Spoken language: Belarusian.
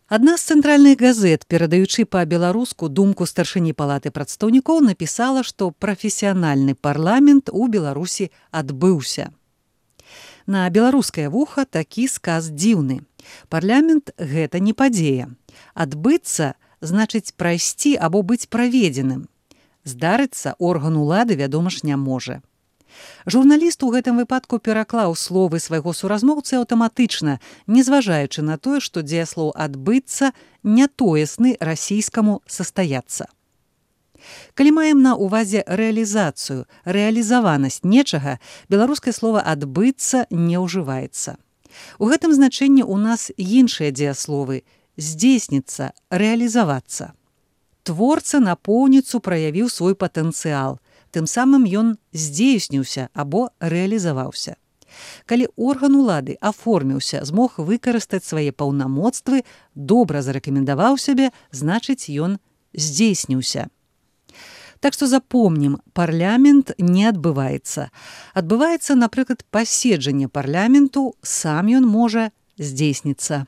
Адна з цэнтральных газет, перадаючы па-беларуску думку старшыні палаты прадстаўнікоў, напісала, што прафесіянальны парламент у Беларусі адбыўся. На беларускае вуха такі сказ дзіўны. Парламент – гэта не падзея. Адбыцца значыць прайсці або быць праведзеным. Здарыцца орган улады, вядома ж, не можа. Журналіст у гэтым выпадку пераклаў словы свайго суразмоўцы аўтаматычна, незважаючы на тое, што дзеяслоў «адбыцца» нятоесны расійскаму «састаяцца». Калі маем на ўвазе рэалізацыю, рэалізаванасць нечага, беларускае слова «адбыцца» не ўжываецца. У гэтым значэнні ў нас іншыя дзеясловы «здзейсніцца», «рэалізавацца». Творца напоўніцу праявіў свой патэнцыял, тым самым ён здзейсніўся або рэалізаваўся. Калі орган улады аформіўся, змог выкарыстаць свае паўнамоцтвы, добра зарэкамендаваў сябе, значыць, ён здзейсніўся. Так што запомнім, парламент не адбываецца. Адбываецца, напрыклад, паседжанне парламенту, сам ён можа здзейсніцца.